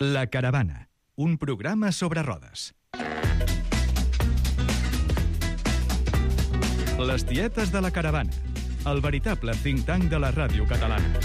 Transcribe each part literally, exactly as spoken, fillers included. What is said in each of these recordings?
La Caravana, un programa sobre rodes. Les tietes de la Caravana, el veritable think tank de la ràdio catalana.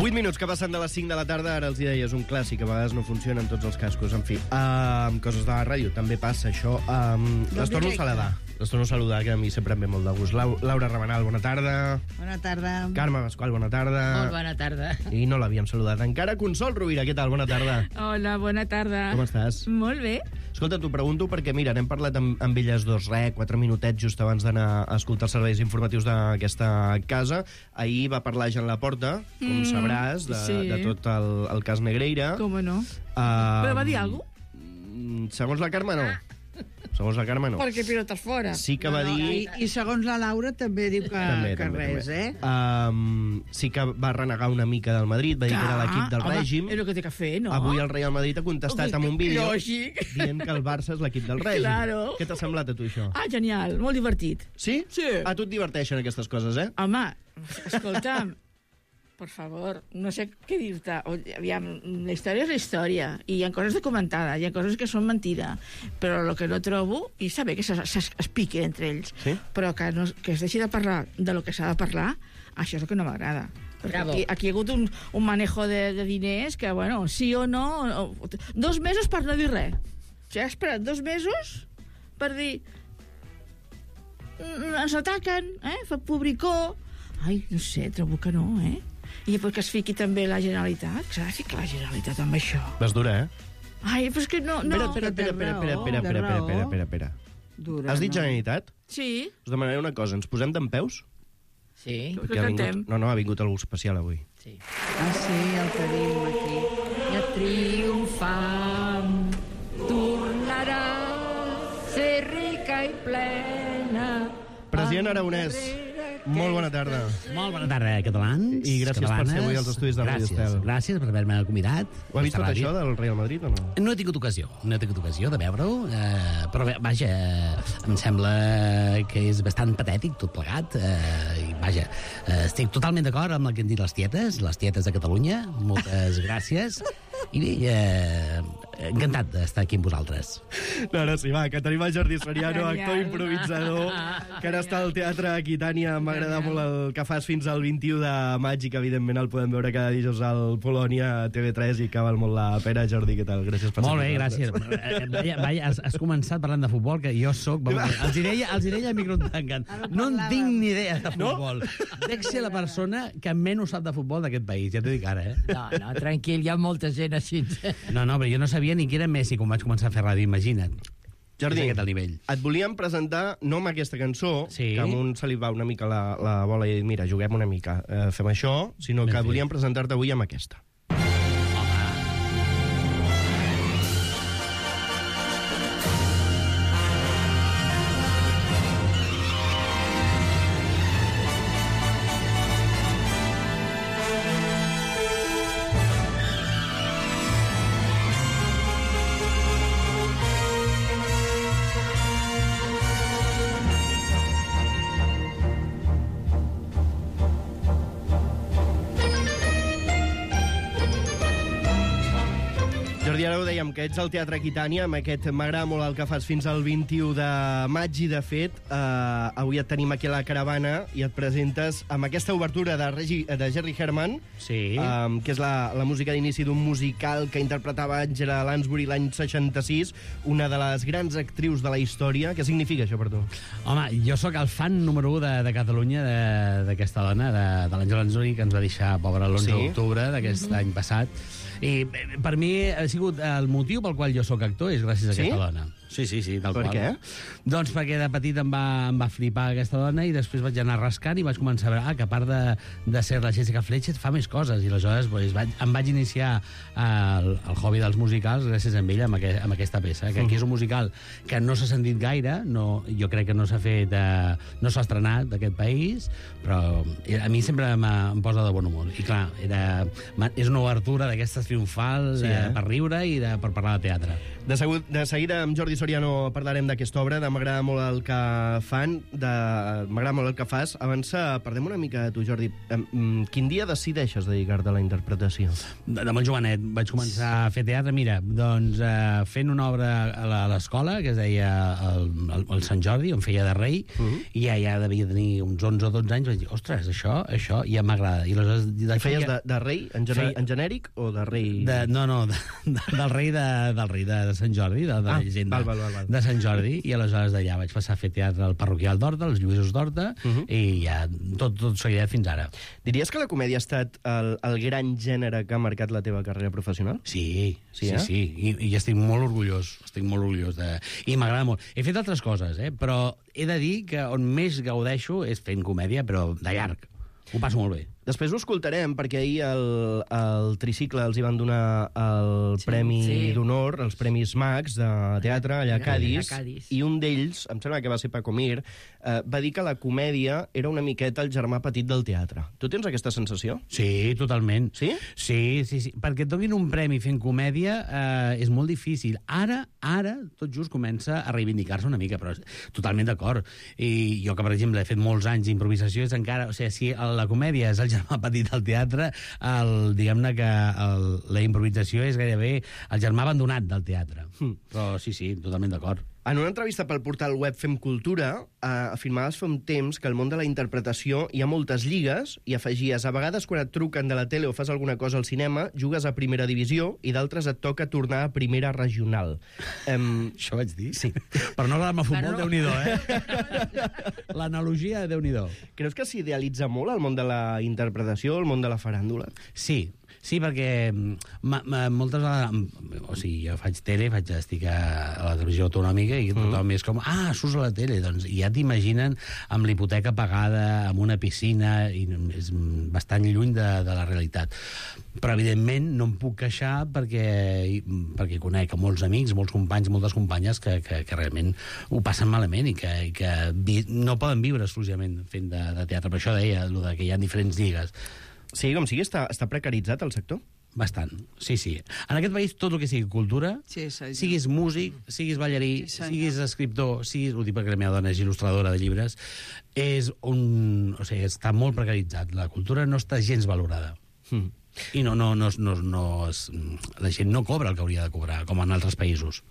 vuit minuts que passen de les cinc de la tarda, ara els hi deia, és un clàssic, a vegades no funcionen tots els cascos, en fi. Uh, amb coses de la ràdio també passa això. Um, les torno a saludar, les torno a saludar, que a mi sempre em ve molt de gust. Lau, Laura Rabanal, bona tarda. Bona tarda. Carme Pasqual, bona tarda. Molt bona tarda. I no l'havíem saludat encara. Consol Rovira, què tal? Bona tarda. Hola, bona tarda. Com estàs? Molt bé. Escolta, t'ho pregunto perquè, mira, n'hem parlat amb, amb elles dos, re, quatre minutets just abans d'anar a escoltar els serveis informatius d'aquesta casa. Ahir va parlar Jean Laporta, com mm, sabràs, de, sí. de tot el, el cas Negreira. Com no? Uh, Però va dir alguna cosa? Segons la Carme, no. Segons la Carme, no. Perquè pilotes fora. Sí que no, va no, dir... I, I segons la Laura també diu que, també, que també, res, també. eh? Um, sí que va renegar una mica del Madrid, va dir que era l'equip del home, règim. És el que té que fer, no? Avui el Real Madrid ha contestat Home, amb un vídeo lògic. dient que el Barça és l'equip del règim. Claro. Què t'ha semblat a tu, això? Ah, genial, molt divertit. Sí? Sí. A tu et diverteixen aquestes coses, eh? Home, escolta'm, por favor, no sé què dir-te. Aviam, la història és la història, i hi ha coses documentades, hi ha coses que són mentida, però el que no trobo, i està bé que es piquen entre ells, sí? però que, no, que es deixi de parlar de lo que s'ha de parlar, això és el que no m'agrada. Aquí, aquí hi ha hagut un, un manejo de, de diners que, bueno, sí o no... O, dos mesos per no dir res. O sigui, has esperat dos mesos per dir... Ens ataquen, eh? Fa publicó... Ai, no sé, trobo que no, eh? I després que es fiqui també la Generalitat, que s'ha de ficar la Generalitat amb això. Vas dura, eh? Ai, però és que no... no. Espera, espera, espera, espera, espera, espera, espera, espera, espera, espera. Dura, Has dit no? Generalitat? Sí. Us demanaré una cosa, ens posem dempeus? Sí. Perquè ha vingut... No, no, ha vingut algú especial avui. Sí. Ah, sí, el tenim aquí. Ja triomfant, tornarà a ser rica i plena. President Aragonès, molt bona tarda. Molt bona tarda, catalans. I gràcies catalanes. per ser avui als estudis de Ràdio Estel. Gràcies per haver-me convidat. Ho ha vist tot això del Real Madrid o no? No he tingut ocasió, no he tingut ocasió de veure-ho, eh, però bé, vaja, eh, em sembla que és bastant patètic tot plegat, eh, i vaja, eh, estic totalment d'acord amb el que han dit les tietes, les tietes de Catalunya, moltes gràcies, i bé, eh, encantat d'estar aquí amb vosaltres. No, ara sí, va, que tenim el Jordi Soriano, actor improvisador, que ara està al Teatre Aquitània. M'agrada molt el que fas fins al vint-i-u de maig i que, evidentment, el podem veure cada dijous al Polònia, a T V tres, i que val molt la pena. Jordi, què tal? Gràcies per ser Molt bé, gràcies. Vaja, vaja, has, has començat parlant de futbol, que jo sóc... Els hi deia, els hi deia a micro tancant. No en tinc ni idea de futbol. No? Dec ser la persona que menys sap de futbol d'aquest país, ja t'ho dic ara, eh? No, no, tranquil, hi ha molta gent així. No, no, però jo no sabia ni qui era Messi quan vaig començar a fer ràdio, imagina't. Jordi, és aquest el nivell. Et volíem presentar, no amb aquesta cançó, sí. que a un se li va una mica la, la bola i mira, juguem una mica, eh, fem això, sinó ben que fet. Volíem presentar-te avui amb aquesta. Jordi, ara ho dèiem, que ets al Teatre Aquitània, amb aquest m'agrada molt el que fas fins al vint-i-u de maig, i de fet, eh, avui et tenim aquí a la caravana i et presentes amb aquesta obertura de, Regi, de Jerry Herman, sí. eh, que és la, la música d'inici d'un musical que interpretava Angela Lansbury l'any seixanta-sis, una de les grans actrius de la història. Què significa això per tu? Home, jo sóc el fan número u de, de Catalunya d'aquesta dona, de, de l'Angela Lansbury, que ens va deixar, pobra, l'onze d'octubre d'aquest mm-hmm. any passat. I per mi ha sigut el motiu pel qual jo sóc actor, és gràcies a aquesta sí? dona. Sí, sí, sí, tal per qual. Per què? Doncs perquè de petit em va, em va flipar aquesta dona i després vaig anar rascant i vaig començar a veure ah, que a part de, de ser la Jessica Fletcher fa més coses, i aleshores pues, vaig, em vaig iniciar el, el hobby dels musicals gràcies a ella, amb, aquest, amb aquesta peça, que aquí és un musical que no s'ha sentit gaire, no, jo crec que no s'ha fet, eh, no s'ha estrenat d'aquest país, però a mi sempre em posa de bon humor. I clar, era, és una obertura d'aquestes triomfals sí, eh? eh, per riure i de, per parlar de teatre. De, segur, de seguida amb Jordi Soriano parlarem d'aquesta obra, de m'agrada molt el que fan, de m'agrada molt el que fas. Abans parlem una mica de tu, Jordi. Quin dia decideixes dedicar-te a la interpretació? De, de molt jovenet vaig començar a fer teatre, mira, doncs eh, fent una obra a l'escola que es deia el, el, el Sant Jordi, on feia de rei, uh -huh. i ja, ja devia tenir uns onze o dotze anys, vaig dir, ostres, això, això ja m'agrada. I aleshores... I feies de, de rei, en, gener, feia... en genèric, o de rei... De, no, no, de, de, del rei de, del rei de, de Sant Jordi, de, de ah, la llegenda val, val, val, val. de Sant Jordi, i aleshores d'allà vaig passar a fer teatre al parroquial d'Horta, als Lluïsos d'Horta, uh -huh. i ja tot, tot seguidet fins ara. Diries que la comèdia ha estat el, el gran gènere que ha marcat la teva carrera professional? Sí, sí, sí, eh? sí. I, i estic molt orgullós, estic molt orgullós. De... I m'agrada molt. He fet altres coses, eh? Però he de dir que on més gaudeixo és fent comèdia, però de llarg. Ho passo molt bé. Després ho escoltarem, perquè ahir el, el Tricicle els hi van donar el sí, Premi sí. d'Honor, els Premis Max de teatre allà a Cadis, a Cadis. I un d'ells, em sembla que va ser Paco Mir, eh, va dir que la comèdia era una miqueta el germà petit del teatre. Tu tens aquesta sensació? Sí, totalment. Sí? Sí, sí, sí. Perquè et donin un premi fent comèdia eh, és molt difícil. Ara, ara, tot just comença a reivindicar-se una mica, però totalment d'acord. I jo que, per exemple, he fet molts anys d'improvisació, és encara... O sigui, si la comèdia és el germà petit del teatre, el, diguem-ne que el, la improvisació és gairebé el germà abandonat del teatre. Mm. Però sí, sí, totalment d'acord. En una entrevista pel portal web Fem Cultura, eh, afirmaves fa un temps que al món de la interpretació hi ha moltes lligues i afegies, a vegades quan et truquen de la tele o fas alguna cosa al cinema, jugues a primera divisió i d'altres et toca tornar a primera regional. Um, Això vaig dir? Sí. Però no agradar-me futbol, no. Déu-n'hi-do, eh? L'analogia, Déu-n'hi-do. Creus que s'idealitza molt el món de la interpretació, el món de la faràndula? Sí, sí, perquè ma, ma, moltes vegades... O sigui, jo faig tele, faig, estic a, a la televisió autonòmica i tothom mm. és com, ah, surts a la tele, doncs i ja t'imaginen amb l'hipoteca pagada, amb una piscina, i és bastant lluny de, de la realitat. Però, evidentment, no em puc queixar perquè, perquè conec molts amics, molts companys, moltes companyes que, que, que realment ho passen malament i que, i que vi, no poden viure exclusivament fent de, de teatre. Per això deia, el de que hi ha diferents lligues. Sí, com sigui, està, està precaritzat el sector? Bastant, sí, sí. En aquest país, tot el que sigui cultura, Sí, sí, siguis músic, siguis ballarí, Sí, senyor. siguis escriptor, siguis... Ho dic perquè la meva dona és il·lustradora de llibres, és un... O sigui, està molt precaritzat. La cultura no està gens valorada. Mm. I no, no, no, no, no es, la gent no cobra el que hauria de cobrar, com en altres països.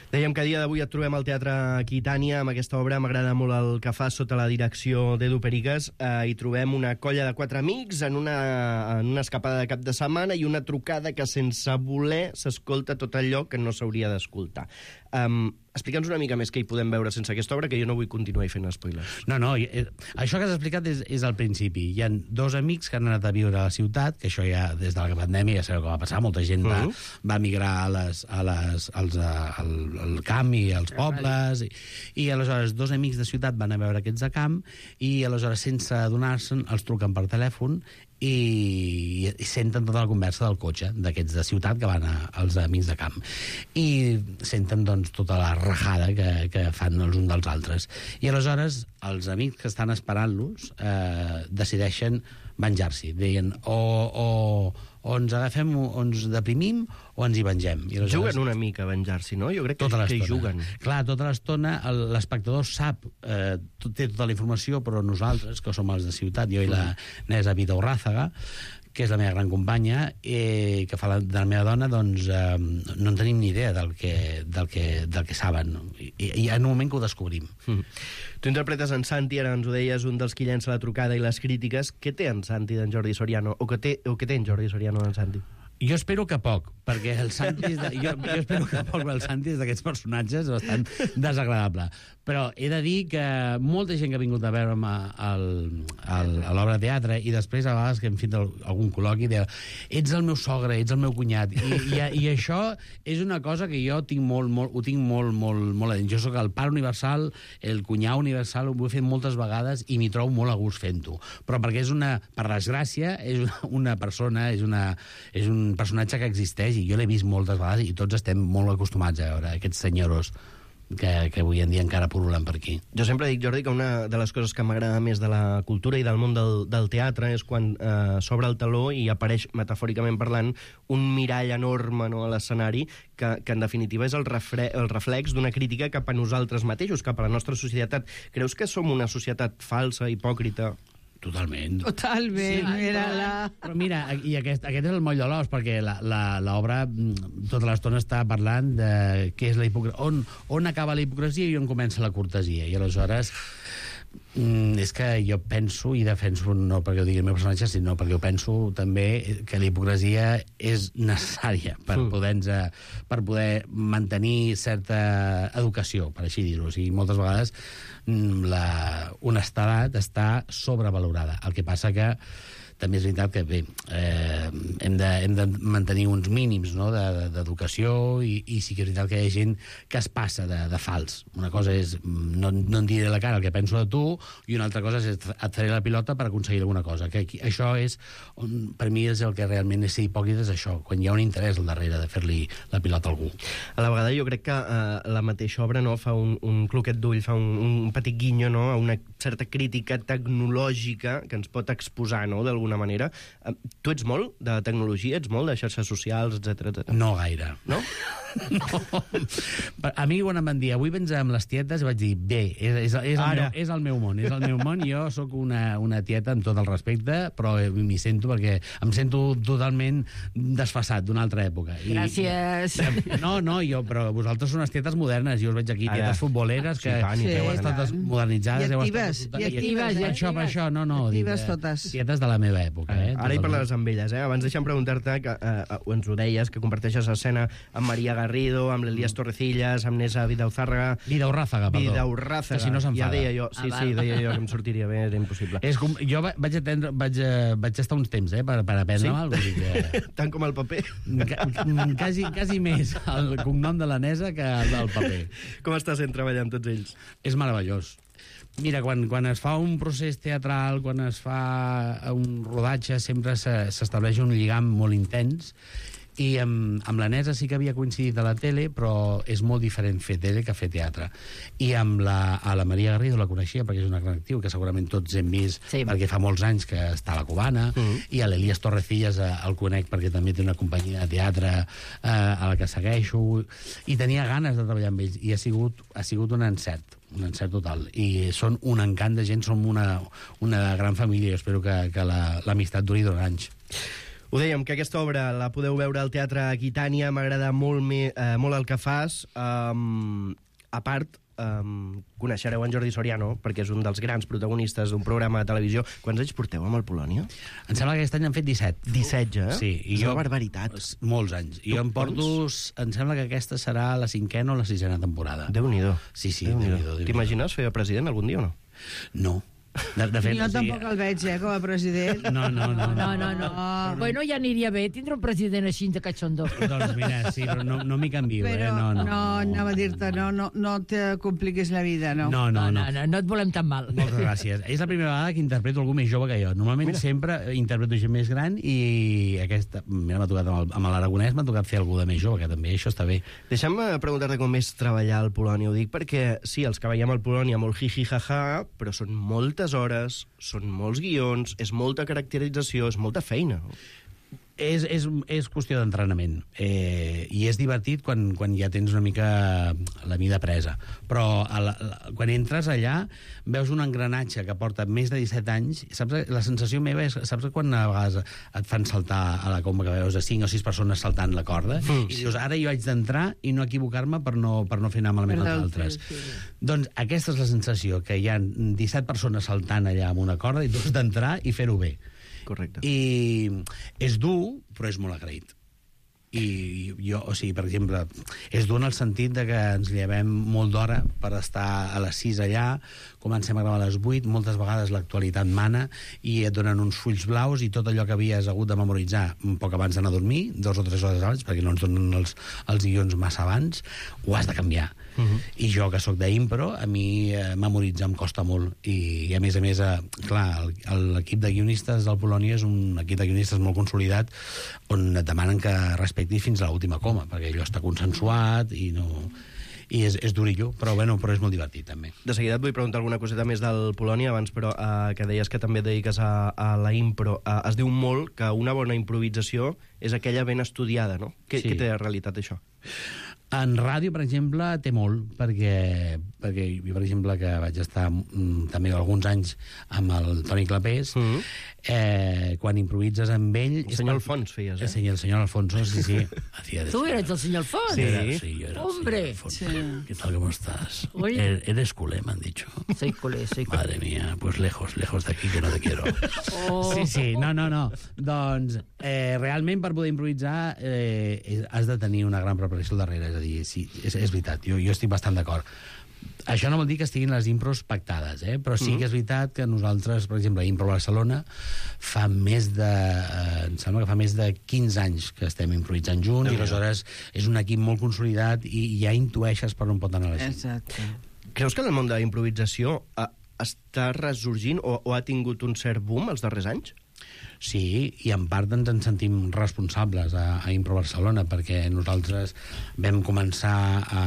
Dèiem que a dia d'avui et trobem al Teatre Aquitània amb aquesta obra. M'agrada molt el que fa sota la direcció d'Edu Periques. Eh, hi trobem una colla de quatre amics en una, en una escapada de cap de setmana i una trucada que sense voler s'escolta tot allò que no s'hauria d'escoltar. Um, Explica'ns una mica més què hi podem veure sense aquesta obra, que jo no vull continuar fent spoilers. No, no, eh, això que has explicat és, és al principi. Hi ha dos amics que han anat a viure a la ciutat, que això ja des de la pandèmia ja sabeu què va passar, molta gent va, uh -huh. va migrar a les, a les, als, a, al, al camp i als pobles, i, i aleshores dos amics de ciutat van a veure aquests de camp, i aleshores sense adonar-se'n els truquen per telèfon i, i senten tota la conversa del cotxe d'aquests de ciutat que van a, als amics de camp, i senten doncs tota la rajada que, que fan els uns dels altres, i aleshores els amics que estan esperant-los eh, decideixen venjar-s'hi, deien o, o, o ens agafem, o ens deprimim o ens hi vengem. I aleshores... Juguen una mica a venjar-s'hi, no? Jo crec que, tota que hi juguen. Clar, tota l'estona l'espectador sap, eh, té tota la informació, però nosaltres, que som els de ciutat, jo i la Nesa Vida Urràzaga, que és la meva gran companya, eh, que fa la, de la meva dona, doncs eh, no en tenim ni idea del que, del que, del que saben. I, i en un moment que ho descobrim. Mm. Tu interpretes en Santi, ara ens ho deies, un dels que llença la trucada i les crítiques. Què té en Santi d'en Jordi Soriano? O què té, o què té en Jordi Soriano d'en Santi? Jo espero que poc, perquè el Santi és de, jo, jo espero que poc, perquè el Santi és d'aquests personatges bastant desagradable. Però he de dir que molta gent que ha vingut a veure'm al, al, a l'obra de teatre, i després a vegades que hem fet algun col·loqui, deia, ets el meu sogre, ets el meu cunyat, i, i, i això és una cosa que jo tinc molt, molt, ho tinc molt, molt, molt a dins. Jo sóc el pare universal, el cunyau universal, ho he fet moltes vegades i m'hi trobo molt a gust fent-ho. Però perquè és una, per desgràcia, és una, una persona, és, una, és un personatge que existeix, i jo l'he vist moltes vegades i tots estem molt acostumats a veure aquests senyoros. que, que avui en dia encara purulen per aquí. Jo sempre dic, Jordi, que una de les coses que m'agrada més de la cultura i del món del, del teatre és quan eh, s'obre el teló i apareix, metafòricament parlant, un mirall enorme, no, a l'escenari que, que en definitiva és el, refre el reflex d'una crítica cap a nosaltres mateixos, cap a la nostra societat. Creus que som una societat falsa, hipòcrita? Totalment. Totalment, Sí, mira-la. Però mira, i aquest, aquest és el moll de l'os, perquè l'obra tota l'estona està parlant de què és la hipocresia, on, on acaba la hipocresia i on comença la cortesia. I aleshores mm, és que jo penso i defenso, no perquè ho digui el meu personatge, sinó perquè ho penso també que la hipocresia és necessària per, mm. poder, per poder mantenir certa educació, per així dir-ho. O sigui, moltes vegades la honestedat està sobrevalorada. El que passa que també és veritat que bé, eh, hem, de, hem de mantenir uns mínims, no, d'educació de, i, i sí que és veritat que hi ha gent que es passa de, de fals. Una cosa és, no, no em diré la cara el que penso de tu, i una altra cosa és et faré la pilota per aconseguir alguna cosa. Que aquí, això és, on, per mi és el que realment és ser hipòcrita, és això, quan hi ha un interès al darrere de fer-li la pilota a algú. A la vegada jo crec que eh, la mateixa obra, no, fa un, un cloquet d'ull, fa un, un petit guinyo, no, a una certa crítica tecnològica que ens pot exposar, no, d'alguna manera. Tu ets molt de tecnologia? Ets molt de xarxes socials, etcètera, etcètera? No gaire. No? No. A mi quan em van dir avui vens amb les tietes, vaig dir bé, és, és, és, el, meu, és el meu món, és el meu món. Jo sóc una, una tieta amb tot el respecte, però m'hi sento perquè em sento totalment desfasat d'una altra època. I, Gràcies. No, no, jo, però vosaltres són unes tietes modernes. Jo us veig aquí, tietes Ara. futboleres, que Sí, tant, i heu tant. estat modernitzades. I heu actives, estat... i actives, Per eh? això, per això, no, no. Actives dic, eh, totes. Tietes de la meva època, eh? Ara hi parlaràs amb elles, eh? Abans deixa'm preguntar-te, que eh, ens ho deies, que comparteixes escena amb Maria Garrido, amb l'Elias Torrecillas, amb Nessa Vidauzárraga... Vidaurrázaga, perdó. Vidaurrázaga. Que si no s'enfada. Ja deia jo, sí, Ah, sí, val. deia jo que em sortiria bé, era impossible. És com, jo va- vaig, atendre, vaig, eh, vaig estar uns temps, eh, per, per aprendre Sí? mal, vull dir que... Tant com el paper. Ca- ca- quasi, quasi més el cognom de la Nesa que el del paper. Com està sent treballar amb tots ells? És meravellós. Mira, quan, quan es fa un procés teatral, quan es fa un rodatge, sempre se- s'estableix un lligam molt intens, i amb, amb la Nesa sí que havia coincidit a la tele, però és molt diferent fer tele que fer teatre. I amb la, a la Maria Garrido la coneixia perquè és una gran actriu que segurament tots hem vist, Sí. perquè fa molts anys que està a la Cubana, Mhm. i a l'Elias Torrecillas eh, el conec perquè també té una companyia de teatre eh, a la que segueixo, i tenia ganes de treballar amb ells, i ha sigut, ha sigut un encert un encert total, i són un encant de gent, som una, una gran família, jo espero que, que la- l'amistat duri durant anys. Ho dèiem, que aquesta obra la podeu veure al Teatre Aquitània, m'agrada molt, me, eh, molt el que fas. Um, a part, um, coneixereu en Jordi Soriano, perquè és un dels grans protagonistes d'un programa de televisió. Quants anys porteu amb el Polònia? Em sembla que aquest any han fet disset. disset ja, eh? Sí, i és jo... una barbaritat. Molts anys. I jo em porto... Em sembla que aquesta serà la cinquena o la sisena temporada. Déu-n'hi-do. Sí, sí, Déu-n'hi-do. Déu-n'hi-do, Déu-n'hi-do. T'imagines fer president algun dia o no? No. De, de fet, Jo o sigui, tampoc el veig, eh, com a president. No, no, no. No, no, no. No. Bueno, ja aniria bé tindre un president així de catxondó. Doncs mira, sí, però no, no m'hi canvio, Però eh? No, no. no, anava a dir-te, no, no, no te compliquis la vida, no. No, no, no. no, no, no et volem tan mal. Moltes gràcies. És la primera vegada que interpreto algú més jove que jo. Normalment Mira. sempre interpreto gent més gran, i aquesta, mira, m'ha tocat amb el- amb l'Aragonès, m'ha tocat fer algú de més jove, que també això està bé. Deixa'm eh, preguntar-te com és treballar al Polònia. Ho dic perquè, sí, els que veiem al Polònia molt jiji-jaja, però són moltes hores, són molts guions, és molta caracterització, és molta feina. És, és, és qüestió d'entrenament, eh, i és divertit quan, quan ja tens una mica la mida presa, però a la, la, quan entres allà veus un engranatge que porta més de disset anys, saps? La sensació meva és, saps quan a vegades et fan saltar a la comba, que veus a cinc o sis persones saltant la corda, Mm. i dius, ara jo haig d'entrar i no equivocar-me per no, per no fer anar malament Per als d'altres, altres. sí. Doncs aquesta és la sensació, que hi ha disset persones saltant allà amb una corda i tu has d'entrar i fer-ho bé. Correcte. I és dur, però és molt agraït. I jo, o sigui, per exemple, és dur en el sentit de que ens llevem molt d'hora per estar a les sis allà, comencem a gravar a les vuit, moltes vegades l'actualitat mana, i et donen uns fulls blaus i tot allò que havies hagut de memoritzar un poc abans d'anar a dormir, dos o tres hores abans, perquè no ens donen els, els guions massa abans, ho has de canviar. Uh -huh. I jo, que sóc d'impro, a mi eh, memoritzar em costa molt. I, i a més a més, eh, clar, el- l'equip de guionistes del Polònia és un equip de guionistes molt consolidat, on et demanen que respectis fins a l'última coma, perquè allò està consensuat i no... i és, és durillo, però, bueno, però és molt divertit, també. De seguida et vull preguntar alguna coseta més del Polònia abans, però uh, que deies que també et dediques a, a la impro. Uh, es diu molt que una bona improvisació és aquella ben estudiada, no? Què, Sí. què té de realitat, això? En ràdio, per exemple, té molt, perquè, perquè jo, per exemple, que vaig estar mm, també alguns anys amb el Toni Clapés, mm -hmm. eh, quan improvises amb ell... El senyor Alfons feies, eh? El senyor, el senyor Alfonso, sí, sí. Hacía de Tu esto. eres el senyor Alfons? Sí. Era- sí, yo era el Hombre. señor Alfonso. Sí. ¿Qué tal, cómo estás? Uy. Er- Eres culé, me han dicho. Soy culé, soy culé. Madre mía, pues lejos, lejos de aquí, que no te quiero. Oh. Sí, sí, no, no, no. Doncs, eh, realment, per poder improvisar, eh, has de tenir una gran preparació al darrere. És a dir, sí, és, és veritat, jo, jo estic bastant d'acord. Això no vol dir que estiguin les impros pactades, eh? Però sí que és veritat que nosaltres, per exemple, a Impro Barcelona, fa més de... Eh, em sembla que fa més de quinze anys que estem improvisant junts, i aleshores és un equip molt consolidat i ja intueixes per on pot anar la gent. Exacte. Creus que el món de la improvisació uh, està ressorgint o, o ha tingut un cert boom els darrers anys? Sí, i en part ens en sentim responsables a, a Impro Barcelona, perquè nosaltres vam començar a,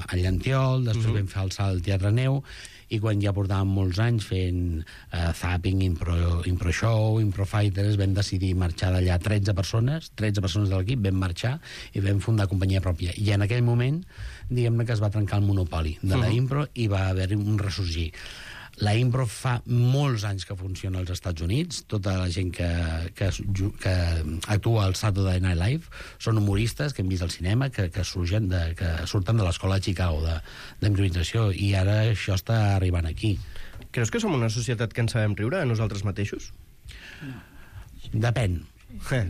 a Llantiol, després uh -huh. vam fer el salt al Teatre Neu, i quan ja portàvem molts anys fent uh, Zapping, Impro, Impro Show, Impro Fighters, vam decidir marxar d'allà tretze persones, tretze persones de l'equip, vam marxar i vam fundar companyia pròpia. I en aquell moment, diguem-ne que es va trencar el monopoli de la impro i va haver-hi un ressorgir. La impro fa molts anys que funciona als Estats Units. Tota la gent que, que, que actua al Saturday Night Live són humoristes que hem vist al cinema, que, que, surgen de, que surten de l'escola de Chicago d'improvisació, i ara això està arribant aquí. Creus que som una societat que en sabem riure de nosaltres mateixos? Depèn. Eh.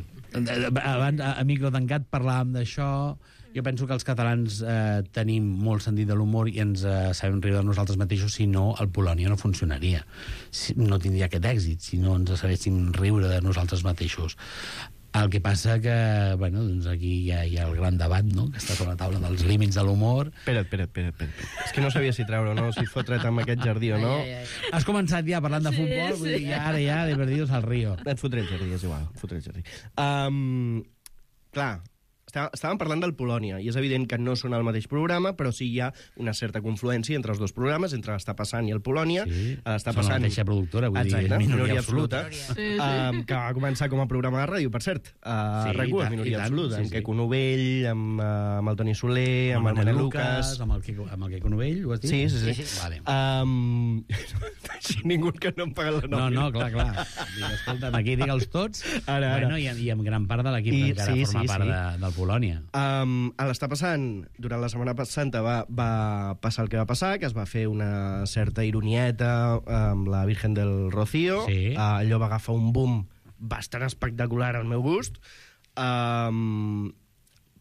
Abans, a, a micro tancat, parlàvem d'això. Jo penso que els catalans eh, tenim molt sentit de l'humor i ens eh, sabem riure de nosaltres mateixos, si no, el Polònia no funcionaria. Si, no tindria aquest èxit, si no ens sabéssim riure de nosaltres mateixos. El que passa que, bueno, doncs aquí hi ha, hi ha el gran debat, no?, que està sobre la taula dels límits de l'humor. Espera't, espera't, espera't, espera't. És que no sabia si treure o no, si fotre't amb aquest jardí o no. Ai, ai, ai. Has començat ja parlant de futbol, sí, vull dir, ja, ara ja, de perdidos al río. Et fotré el jardí, és igual, et fotré el jardí. Um, clar, està- estàvem parlant del Polònia, i és evident que no són el mateix programa, però sí hi ha una certa confluència entre els dos programes, entre l'Està passant i el Polònia. Sí, L'Està són la passant... mateixa productora, vull dir, Exacte, minoria minoria absoluta. absoluta. Sí, sí. Um, que va començar com a programa de ràdio, per cert. Uh, Sí, sí, RAC u, i tant, minoria i tant, absoluta, sí, amb sí. Queco Novell, amb, uh, amb el Toni Soler, amb, el Manel Lucas... amb el Quico, amb el Quico Novell, ho has dit? Sí, sí, sí. Sí, sí. Vale. Um, així ningú que no em paga la No, nòmina. no, clar, clar. Dic, escolta'm, aquí digue'ls tots. Ara, ara. Bueno, i, i amb gran part de l'equip I- que encara sí, forma sí, part sí. de, del Polònia. Um, a l'Està passant, durant la Setmana Santa va, va passar el que va passar, que es va fer una certa ironieta amb la Virgen del Rocío. Sí. Uh, allò va agafar un boom bastant espectacular al meu gust. Um,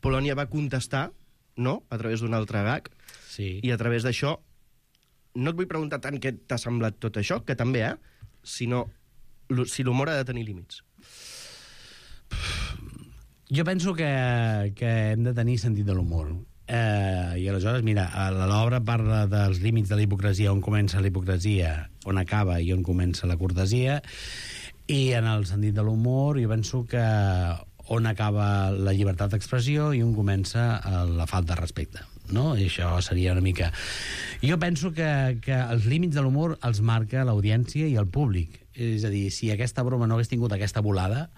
Polònia va contestar, no?, a través d'un altre gag, Sí. i a través d'això no et vull preguntar tant què t'ha semblat tot això, que també, eh?, sinó l'hu- si l'humor ha de tenir límits. Jo penso que, que hem de tenir sentit de l'humor. Eh, I aleshores, mira, a l'obra parla dels límits de la hipocresia, on comença la hipocresia, on acaba i on comença la cortesia, i en el sentit de l'humor jo penso que on acaba la llibertat d'expressió i on comença la falta de respecte, no? I això seria una mica... Jo penso que, que els límits de l'humor els marca l'audiència i el públic. És a dir, si aquesta broma no hagués tingut aquesta volada,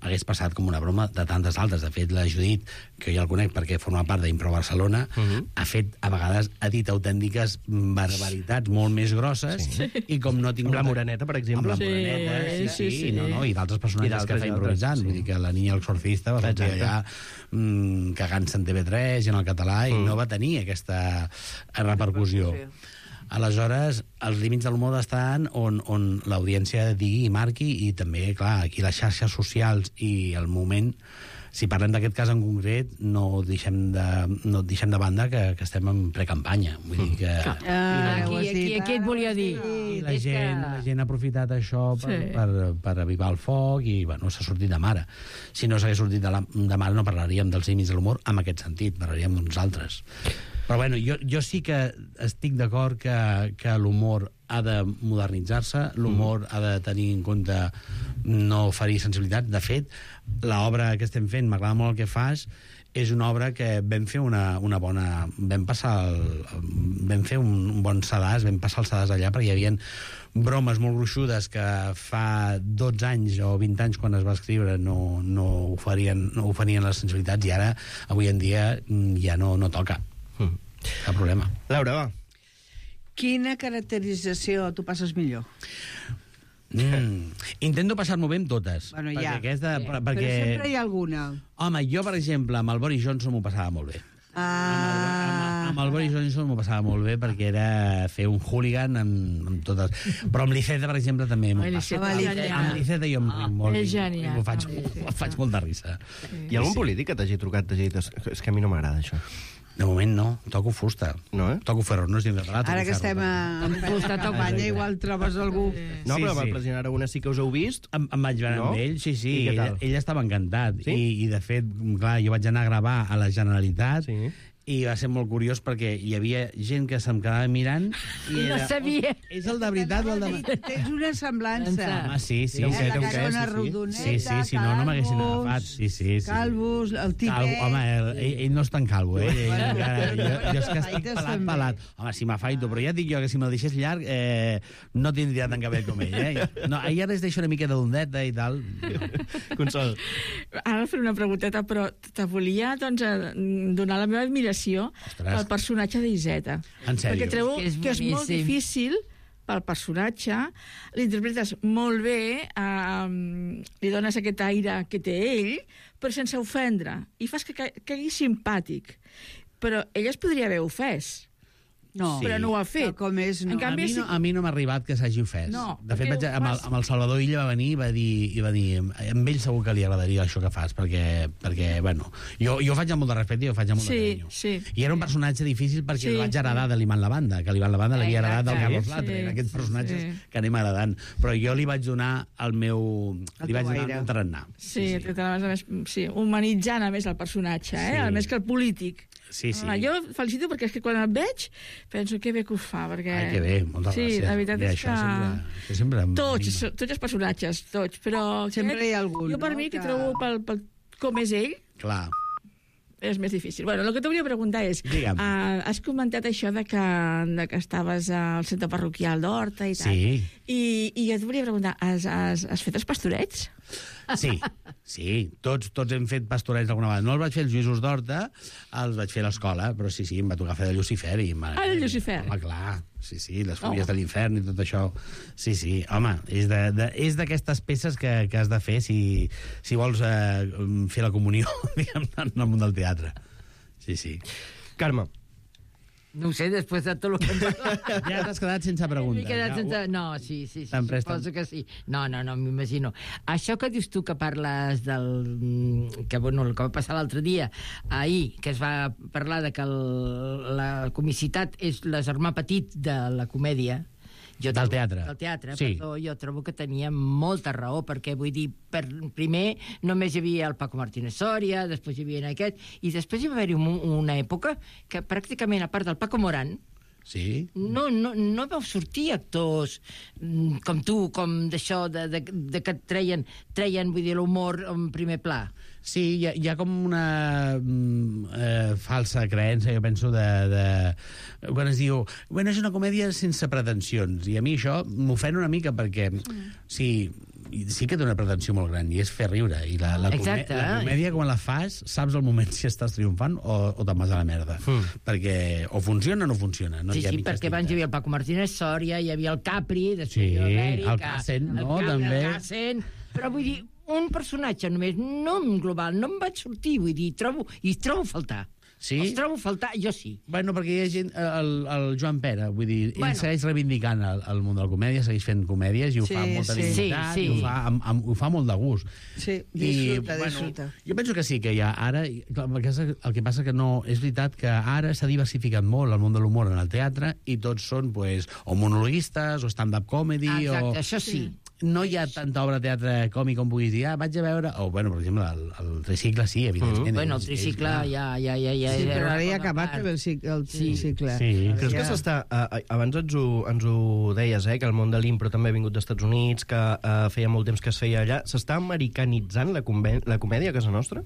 hagués passat com una broma de tantes altres. De fet, la Judit, que jo el conec perquè forma part d'Impro Barcelona, uh -huh. ha fet, a vegades, ha dit autèntiques barbaritats molt més grosses, sí. i com no ha tingut... Amb la Moreneta, per exemple. Amb la Moreneta, sí, sí, sí, sí. No, no, i d'altres personatges I d'altres, que fa i improvisant. d'altres, Vull dir que la Niña l'exorcista va sortir Exacte. allà mm, cagant-se en T V tres i en el català, i Mm. no va tenir aquesta repercussió. Aleshores, els límits de l'humor estan on, on l'audiència digui i marqui, i també, clar, aquí les xarxes socials i el moment, si parlem d'aquest cas en concret, no deixem de, no deixem de banda que, que estem en precampanya. Vull dir que... Ah, ho Aquí, has aquí, dit. aquí et volia dir. I la És que- gent, la gent ha aprofitat això per, Sí. per, per avivar el foc i, bueno, s'ha sortit de mare. Si no s'hagués sortit de, la, de mare no parlaríem dels límits de l'humor en aquest sentit, parlaríem d'uns altres. Però, bueno, jo, jo sí que estic d'acord que, que l'humor ha de modernitzar-se, l'humor mm. ha de tenir en compte no ferir sensibilitat. De fet, l'obra que estem fent, m'agrada molt el que fas, és una obra que vam fer una, una bona... Vam passar el, vam fer un, un bon sedàs, vam passar el sedàs allà, perquè hi havia bromes molt gruixudes que fa dotze anys o vint anys, quan es va escriure, no, no, oferien, no oferien les sensibilitats, i ara, avui en dia, ja no, no toca. Mm. Cap problema. Laura, va. Quina caracterització tu passes millor? Mm. Intento passar-m'ho bé amb totes. Bueno, perquè ja. Aquesta, Però perquè... sempre hi ha alguna. Home, jo, per exemple, amb el Boris Johnson m'ho passava molt bé. Ah... Amb el Boris Johnson m'ho passava molt bé, perquè era fer un hooligan amb, amb totes... Però amb l'Iceta, per exemple, també m'ho passa. Amb l'Iceta jo em ric molt. És genial. M'ho faig, faig molta risa. Hi ha algun polític que t'hagi trucat, t'hagi dit... És que a mi no m'agrada, això. De moment no, toco fusta. No, eh? Toco ferro, no és dins català. Ara que estem a, en fusta campanya, igual trobes algú... No, Sí, però amb sí. el president Aragonès sí que us heu vist. Em, em vaig veure No? amb ell, sí, sí. I què Ell, tal? ell estava encantat. Sí? I, I, de fet, clar, jo vaig anar a gravar a la Generalitat, Sí. i va ser molt curiós perquè hi havia gent que se'm quedava mirant i No sabia. És el de veritat o el de... Tens una semblança. Home, sí, sí. Té un sí, què, té un la què, carona sí, sí. rodoneta, Sí, sí, si no, no m'haguessin calvos, agafat. Sí, sí, sí. Calvos, el tipet... Calvo, home, el, ell, ell no és tan calvo, eh? Ell, Bueno, encara, jo, jo és que estic afaites pelat, també. pelat. Home, si m'afaito, però ja et dic jo que si me'l deixés llarg eh, no tindria tant cabell com ell, eh? No, ell ara es deixa una miqueta d'ondeta i tal. Consol. Ara fer una pregunteta, però te volia doncs, eh, donar la meva admiració Ostres. pel personatge d'Iseta. En sèrio? Perquè trobo És que és molt boníssim. difícil pel personatge, l'interpretes molt bé, eh, li dones aquest aire que té ell, però sense ofendre, i fas que ca- caigui simpàtic. Però ella es podria haver ofès. No, Sí. Però no ho ha fet. Tal com és, no. En canvi, a, mi no, a mi no m'ha arribat que s'hagi ofès. No, de fet, perquè vaig, ho amb, el, fas- amb el Salvador Illa va venir i va dir, i va dir amb ell segur que li agradaria això que fas, perquè, perquè bueno, jo, jo ho faig amb molt de respecte i ho faig amb molt Sí, de carinyo. sí. I era un personatge difícil perquè Sí. el vaig heredar de l'Iman Lavanda, que l'Iman Lavanda l'havia heredat del Exacte. Carlos Sí, Latre, eren aquests sí, personatges sí. que anem heredant. Però jo li vaig donar el meu... El li vaig teu donar el aire. meu tarannà. Sí, sí. A més, sí, humanitzant a més el personatge, eh? Sí. A més que el polític. Sí, sí. Ah, jo felicito perquè és que quan el veig penso que bé que ho fa, perquè... Ai, que bé, moltes sí, gràcies. la veritat Bé, és això que... sempre, això sempre em Tots, anima. tots els personatges, tots, però... Sempre aquest, hi ha algun, Jo per no, mi, que que- trobo pel, pel, com és ell, Clar. és més difícil. Bueno, el que t'hauria de preguntar és... Digue'm. Uh, has comentat això de que, de que estaves al centre parroquial d'Horta i tal. Sí. I, i jo et volia preguntar, has, has, has fet els pastorets? Sí, sí, tots, tots hem fet pastorets alguna vegada. No els vaig fer els Lluïsos d'Horta, els vaig fer a l'escola, però sí, sí, em va tocar fer de Lucifer. I em va... Ah, de Lucifer. Home, clar, sí, sí, les Oh. fulles de l'infern i tot això. Sí, sí, home, és de- de- és d'aquestes peces que, que has de fer si, si vols eh, fer la comunió, diguem, en el món del teatre. Sí, sí. Carme. No ho sé, després de tot el que hem parlat. Ja t'has quedat sense preguntes. M'he quedat ja. sense... No, sí, sí, sí, Te'n presten? suposo que sí. No, no, no, m'imagino. Això que dius tu que parles del... que, bueno, el que va passar l'altre dia, ahir, que es va parlar de que el, la comicitat és la germà petit de la comèdia, jo Del trobo- teatre. Del teatre, Sí. perdó, jo trobo que tenia molta raó, perquè vull dir, per, primer només hi havia el Paco Martínez Soria, després hi havia aquest, i després hi va haver-hi un, una època que pràcticament, a part del Paco Morán, Sí? no, no, no vau sortir actors mm, com tu, com d'això, de, de, de que et treien, treien, vull dir, l'humor en primer pla. Sí, hi ha, hi ha com una mm, eh, falsa creença, jo penso, de, de... Quan es diu, bueno, és una comèdia sense pretensions, i a mi això m'ofèn una mica perquè, sí, sí que té una pretensió molt gran, i és fer riure, i la, la, comè Exacte. la comèdia, quan la fas, saps el moment si estàs triomfant o, o te'n vas a la merda. Mm. Perquè o funciona o no funciona. No Sí, hi ha sí, mitges perquè abans hi tintes. havia el Paco Martínez Soria, hi havia el Capri, després Sí, hi havia l'Eric, el Cassen, no, Capri, també. El Cassen, però vull dir, un personatge només, no en global, no em vaig sortir, vull dir, trobo, i trobo a faltar. Sí? Els trobo a faltar, jo sí. Bueno, perquè hi ha gent... El, el Joan Pere, vull dir, ell Bueno. segueix reivindicant el, el món de la comèdia, segueix fent comèdies i ho Sí, fa amb molta sí. dignitat, Sí, sí. i ho fa, amb, amb, ho fa molt de gust. Sí, disfruta, disfruta. Jo penso que sí, que hi ha ara... Clar, el que passa- el que passa que no... És veritat que ara s'ha diversificat molt el món de l'humor en el teatre i tots són, pues, o monologuistes, o stand-up comedy, Exacte, o... això sí. No hi ha tanta obra de teatre còmic com puguis dir, ah, vaig a veure... O, bueno, per exemple, el, el tricicle sí, evidentment. Mm. Bueno, el és- és tricicle clar. ja... ja, ja, ja Sí, era però ara una ja ha bona acabat part. el, cic- el Sí. cicle. Sí. Creus que Ja. s'està... Uh, abans ens ho, ens ho deies, eh, que el món de l'impro també ha vingut dels Estats Units, que uh, feia molt temps que es feia allà. S'està americanitzant la, comè la comèdia a casa nostra?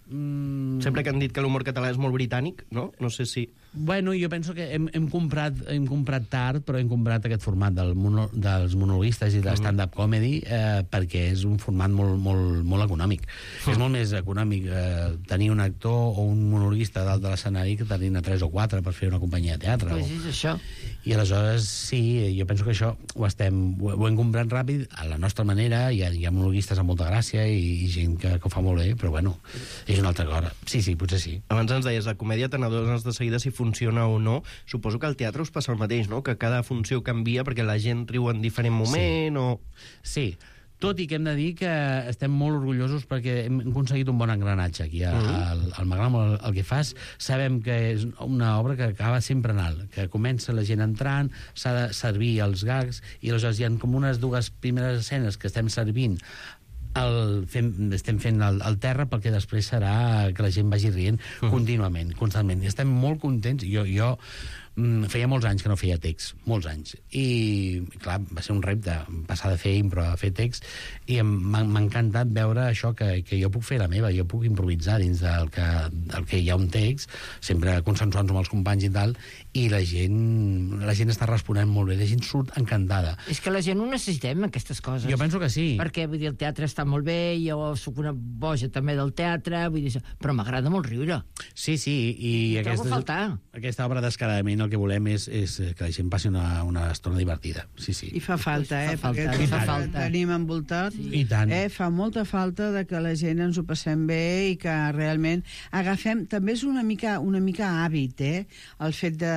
Mm... Sempre que han dit que l'humor català és molt britànic, no? No sé si... Bueno, jo penso que hem, hem, comprat, hem comprat tard, però hem comprat aquest format del mono, dels monologuistes i de stand-up comedy eh, perquè és un format molt, molt, molt econòmic. Mm. És molt més econòmic eh, tenir un actor o un monologuista dalt de l'escenari que tenir-ne tres o quatre per fer una companyia de teatre. Pues o... és això. I aleshores, sí, jo penso que això ho, estem, ho, ho hem comprat ràpid a la nostra manera. Hi ha, hi ha monologuistes amb molta gràcia i, i gent que, que ho fa molt bé, però bueno, és una altra cosa. Sí, sí, potser sí. Abans ens deies, la comèdia te n'adones de seguida si funciona o no. Suposo que al teatre us passa el mateix, no? Que cada funció canvia perquè la gent riu en diferent moment, sí. o... Sí, tot i que hem de dir que estem molt orgullosos perquè hem aconseguit un bon engranatge aquí al, mm. al Magram. El, el que fas, sabem que és una obra que acaba sempre en alt, que comença la gent entrant, s'ha de servir els gags, i aleshores hi ha com unes dues primeres escenes que estem servint el fem, estem fent el, el terra, perquè després serà que la gent vagi rient uh-huh. contínuament, constantment. I estem molt contents. Jo, jo mm, feia molts anys que no feia text, molts anys. I, clar, va ser un repte passar de fer impro a fer text, i m'ha encantat veure això, que, que jo puc fer la meva, jo puc improvisar dins del que, del que hi ha un text, sempre consensuant amb els companys i tal, i la gent, la gent està responent molt bé, la gent surt encantada. És que la gent ho necessitem, aquestes coses. Jo penso que sí. Perquè, vull dir, el teatre està molt bé, jo sóc una boja també del teatre, vull dir, però m'agrada molt riure. Sí, sí, i aquesta, aquesta obra descaradament el que volem és, és que la gent passi una, una estona divertida. Sí, sí. I fa falta, eh? Fa falta, perquè fa falta. Tenim envoltat. Sí. I tant. Eh? Fa molta falta de que la gent ens ho passem bé i que realment agafem... També és una mica, una mica hàbit, eh? El fet de,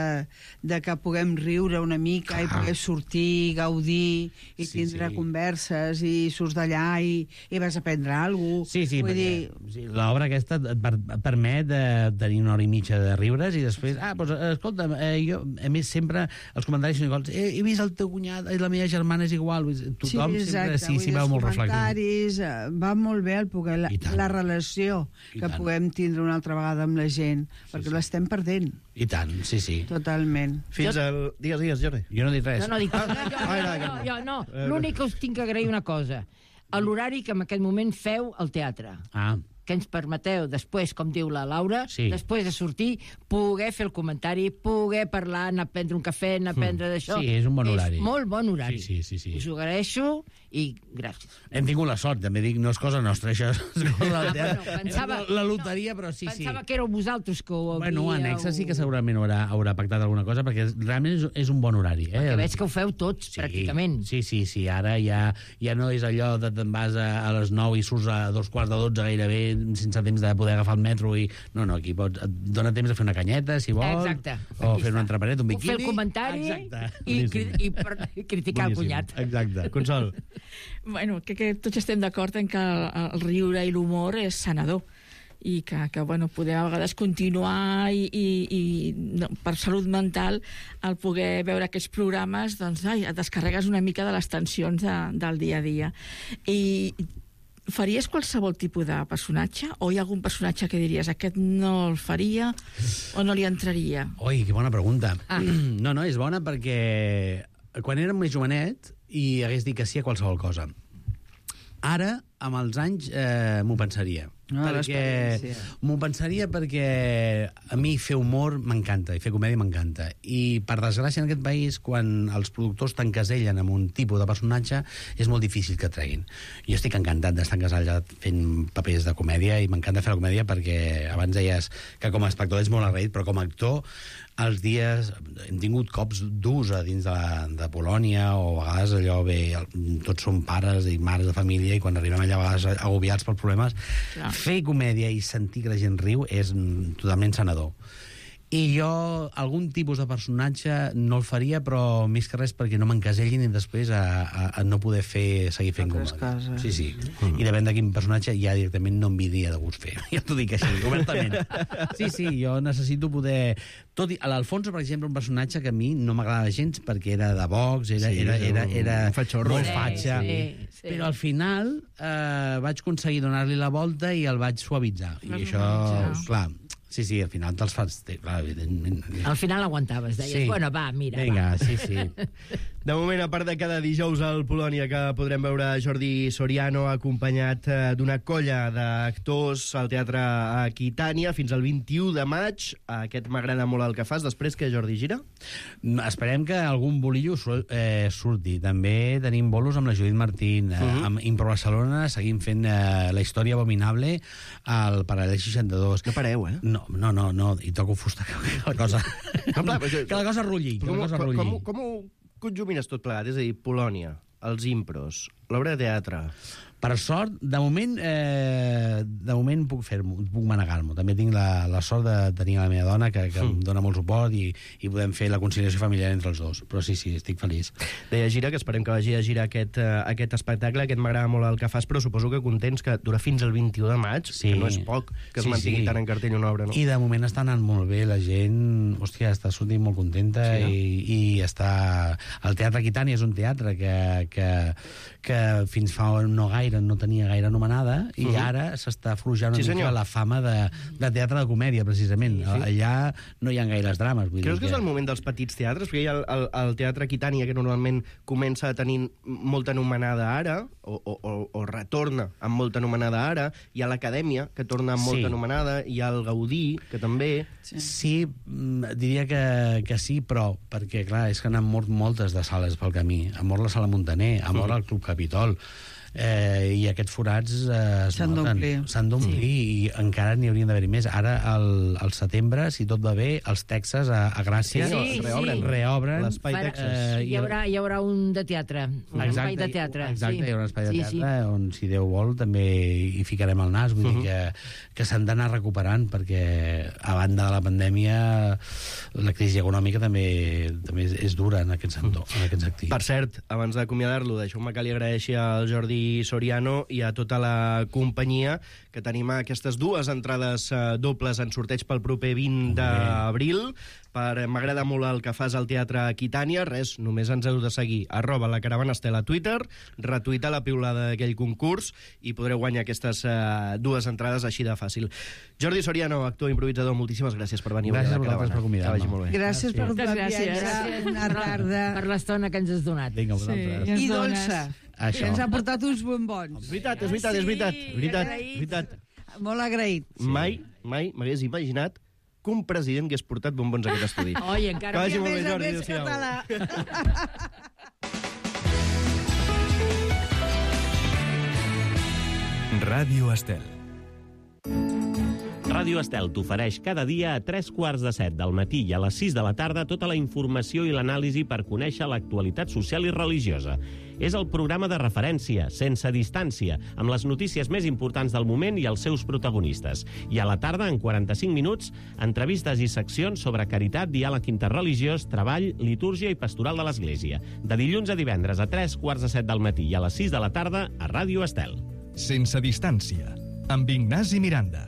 de que puguem riure una mica, clar, i poder sortir, gaudir i sí, tindre sí. converses, i surts d'allà i, i vas aprendre alguna cosa. Sí, sí, Vull perquè dir... sí, l'obra aquesta et per, permet eh, tenir una hora i mitja de riures i després, ah, doncs, escolta, eh, jo, a més, sempre els comentaris són iguals. Eh, he vist el teu cunyat i la meva germana és igual. Tothom sí, sempre sí, s'hi veu molt reflectit. Va molt bé el poder, la, la relació I que tant. puguem tindre una altra vegada amb la gent, sí, perquè sí. l'estem perdent. I tant, sí, sí. Totalment. Fins jo... al... Digues, digues, Jordi. Jo no he dit res. No, no, dic... no, jo, jo, jo, jo, no. L'únic que us tinc que agrair una cosa. A l'horari que en aquest moment feu al teatre. Ah. Que ens permeteu després, com diu la Laura, sí. després de sortir, poder fer el comentari, poder parlar, anar a prendre un cafè, anar a prendre d'això. Sí, és un bon horari. És molt bon horari. Sí, sí, sí, sí. Us ho agraeixo i gràcies. Hem tingut la sort, també dic, no és cosa nostra, això és cosa del teatre. Bueno, pensava, la, la loteria, però sí, pensava sí. Pensava que éreu vosaltres que ho havíeu... Bueno, Anexa sí que segurament haurà, haurà pactat alguna cosa, perquè realment és, és un bon horari. Eh? Perquè veig que ho feu tots, sí, pràcticament. Sí, sí, sí, ara ja, ja no és allò de te'n vas a, a les nou i surts a dos quarts de dotze gairebé, sense temps de poder agafar el metro i... No, no, aquí pots, et dona temps de fer una canyeta, si vols. Exacte. O fer un entrepanet, un biquini. Fer el comentari i, i, i, per, i criticar Boníssim. el cunyat. Exacte. Consol. Bueno, que, que tots estem d'acord en que el, el riure i l'humor és sanador i que, que bueno, podem a vegades continuar i, i, i no, per salut mental el poder veure aquests programes, doncs ai, et descarregues una mica de les tensions de, del dia a dia. I faries qualsevol tipus de personatge? O hi ha algun personatge que diries aquest no el faria o no li entraria? Oi, que bona pregunta. Ah. No, no, és bona perquè quan érem més jovenet i hagués dit que sí a qualsevol cosa. Ara, amb els anys, eh, m'ho pensaria. No, perquè m'ho pensaria perquè a mi fer humor m'encanta i fer comèdia m'encanta. I, per desgràcia, en aquest país, quan els productors t'encasellen amb un tipus de personatge, és molt difícil que treguin. Jo estic encantat d'estar encasellat fent papers de comèdia i m'encanta fer la comèdia perquè abans deies que com a espectador ets molt agraït, però com a actor els dies hem tingut cops durs a dins de, la, de Polònia, o a vegades allò bé, tots som pares i mares de família i quan arribem allà a vegades agobiats pels problemes, clar, fer comèdia i sentir que la gent riu és totalment sanador. I jo algun tipus de personatge no el faria, però més que res perquè no m'encasellin i després a, a, a no poder fer, seguir fent comèdia. Sí, sí. Mm. I depèn de quin personatge ja directament no em vindria de gust fer. Ja t'ho dic així, obertament. Sí, sí, jo necessito poder... Tot i, a l'Alfonso, per exemple, un personatge que a mi no m'agradava gens perquè era de Vox, era, sí, era, era, era, era molt fatxa. Sí, sí, sí. Però al final eh, vaig aconseguir donar-li la volta i el vaig suavitzar. I això, clar, Sí, sí, al final te'ls fas... Clar, evidentment. Al final aguantaves, deies, Sí. bueno, va, mira, Vinga, va. sí, sí. De moment, a part de cada dijous al Polònia, que podrem veure Jordi Soriano acompanyat eh, d'una colla d'actors al Teatre Aquitània fins al vint-i-u de maig. Aquest m'agrada molt el que fas. Després, que Jordi gira? Esperem que algun bolillo su- eh, surti. També tenim bolos amb la Judit Martín. Uh -huh. Amb Impro Barcelona seguim fent eh, la història abominable al Paral·lel seixanta-dos. No pareu, eh? No, no, no, no, i toco fusta, que la cosa... No, clar, però- que la cosa rulli, que Com, la cosa com, rulli. com, com ho conjumines tot plegat? És a dir, Polònia, els impros, l'obra de teatre... Per sort, de moment, eh, de moment puc fer-m'ho, puc manegar-m'ho. També tinc la, la sort de tenir la meva dona, que, que em dona molt suport, i, i podem fer la conciliació familiar entre els dos. Però sí, sí, estic feliç. Deia Gira, que esperem que vagi a girar aquest, uh, aquest espectacle. Aquest m'agrada molt el que fas, però suposo que contents que dura fins al vint-i-u de maig, Sí. que no és poc que es Sí, mantingui sí. tant en cartell una obra, no? I de moment està anant molt bé, la gent, hòstia, està sortint molt contenta, Sí, no? i, i està... El Teatre Aquitània és un teatre que, que, que fins fa no gaire no tenia gaire anomenada, i Mhm. ara s'està forjant una Sí, mica senyor. la fama de, de teatre de comèdia, precisament. Sí. Allà no hi ha gaires drames. Vull Creus dir que és el moment dels petits teatres? Perquè hi ha el, el, el Teatre Aquitània, que normalment comença a tenir molta anomenada ara, o, o, o, o retorna amb molta anomenada ara. Hi ha l'Acadèmia, que torna amb Sí. molta anomenada. Hi ha el Gaudí, que també... Sí, mm, diria que, que sí, però perquè, clar, és que n'han mort moltes de sales pel camí. Ha mort la Sala Montaner, ha mort el Club Capitol, eh, i aquests forats eh, es S'han noten. d'omplir. S'han d'omplir, i encara n'hi haurien d'haver més. Ara, al, al setembre, si tot va bé, els Texas a, a Gràcia Sí, sí. reobren. reobren. L'espai Farà- Texas. Eh, Hi haurà, hi haurà un de teatre, un espai de teatre. Exacte, sí. hi haurà un espai de Sí, teatre on, si Déu vol, també hi ficarem el nas. Vull Mhm. dir que, que s'han d'anar recuperant, perquè a banda de la pandèmia la crisi econòmica també, també és, és dura en aquest sector, en aquest sector. Per cert, abans d'acomiadar-lo, deixeu-me que li agraeixi al Jordi Soriano i a tota la companyia que tenim aquestes dues entrades eh, dobles en sorteig pel proper vint d'abril. Per M'agrada molt el que fas al Teatre Aquitània. Res, només ens heu de seguir. Arroba la Caravana Estel a Twitter, retuita la piulada d'aquell concurs i podreu guanyar aquestes eh, dues entrades així de fàcil. Jordi Soriano, actor improvisador, moltíssimes gràcies per venir Gràcies avui a a la vosaltres Caravana. per convidar-me. Que vagi molt bé. Gràcies per Moltes la gràcies. viatge, una tarda Per l'estona que ens has donat. Vinga, vosaltres. Sí. i ens dones. dolça. Això. Que ens ha portat uns bombons. És veritat, és veritat, és veritat. Sí, És veritat, agraïts. és veritat. Molt agraït. Mai, mai m'hagués imaginat que un president hagués portat bombons a aquest estudi. Oi, Que encara... vagi I a molt més bé, a Jordi. més Adéu-siau. català. Ràdio Estel. Ràdio Estel t'ofereix cada dia a tres quarts de set del matí i a les sis de la tarda tota la informació i l'anàlisi per conèixer l'actualitat social i religiosa. És el programa de referència, sense distància, amb les notícies més importants del moment i els seus protagonistes. I a la tarda, en quaranta-cinc minuts, entrevistes i seccions sobre caritat, diàleg interreligiós, treball, litúrgia i pastoral de l'Església. De dilluns a divendres a tres quarts de set del matí i a les sis de la tarda a Ràdio Estel. Sense distància, amb Ignasi Miranda.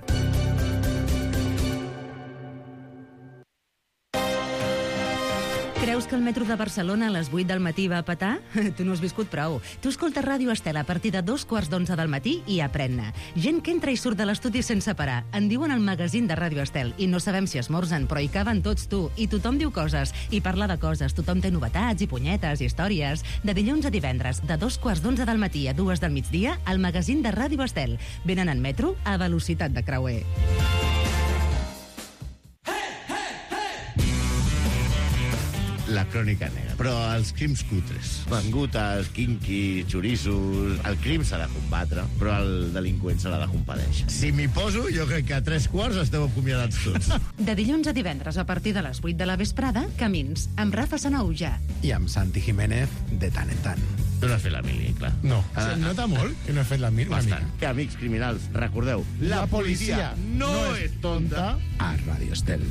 Creus que el metro de Barcelona a les vuit del matí va a petar? Tu no has viscut prou. Tu escoltes Ràdio Estel a partir de dos quarts d'onze del matí i aprèn-ne. Gent que entra i surt de l'estudi sense parar. En diuen el magazín de Ràdio Estel i no sabem si esmorzen, però hi caben tots, tu. I tothom diu coses. I parla de coses. Tothom té novetats i punyetes i històries. De dilluns a divendres, de dos quarts d'onze del matí a dues del migdia, el magazín de Ràdio Estel. Venen en metro a velocitat de creuer. La crònica negra. Però els crims cutres. Mangutes, kinky, xoriços... El crim s'ha de combatre, però el delinqüent se l'ha de compadèixer. Si m'hi poso, jo crec que a tres quarts esteu acomiadats tots. De dilluns a divendres, a partir de les vuit de la vesprada, Camins, amb Rafa Sanauja. I amb Santi Jiménez de tant en tant. Tu no has fet la mili, clar. No. Ah, Se nota molt que no he fet la mili. Bastant. Amics criminals, recordeu, la, La policia no, no és tonta. A Ràdio Estel.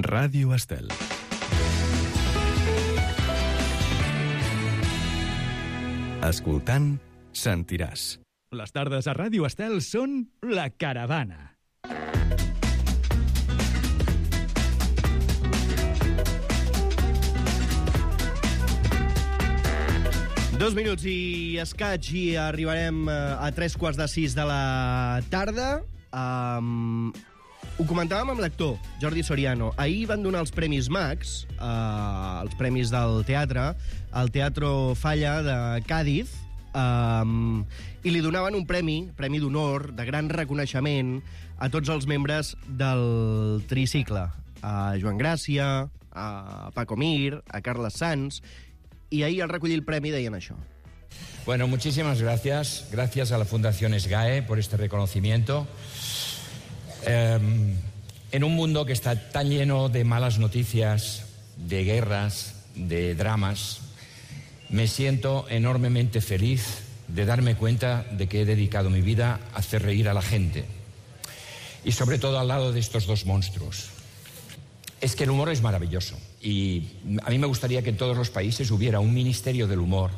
Ràdio Estel. Escoltant, sentiràs. Les tardes a Ràdio Estel són La Caravana. Dos minuts i escaig i arribarem a tres quarts de sis de la tarda. Um, ho comentàvem amb l'actor, Jordi Soriano. Ahir van donar els Premis Max, uh, els premis del teatre, al Teatro Falla de Càdiz, um, i li donaven un premi, premi d'honor, de gran reconeixement, a tots els membres del tricicle. A Joan Gràcia, a Paco Mir, a Carles Sans, y ahí al recollir el premio deien això. Bueno, muchísimas gracias. Gracias a la Fundación SGAE por este reconocimiento. Eh, en un mundo que está tan lleno de malas noticias, de guerras, de dramas, me siento enormemente feliz de darme cuenta de que he dedicado mi vida a hacer reír a la gente. Y sobre todo al lado de estos dos monstruos. Es que el humor es maravilloso y a mí me gustaría que en todos los países hubiera un ministerio del humor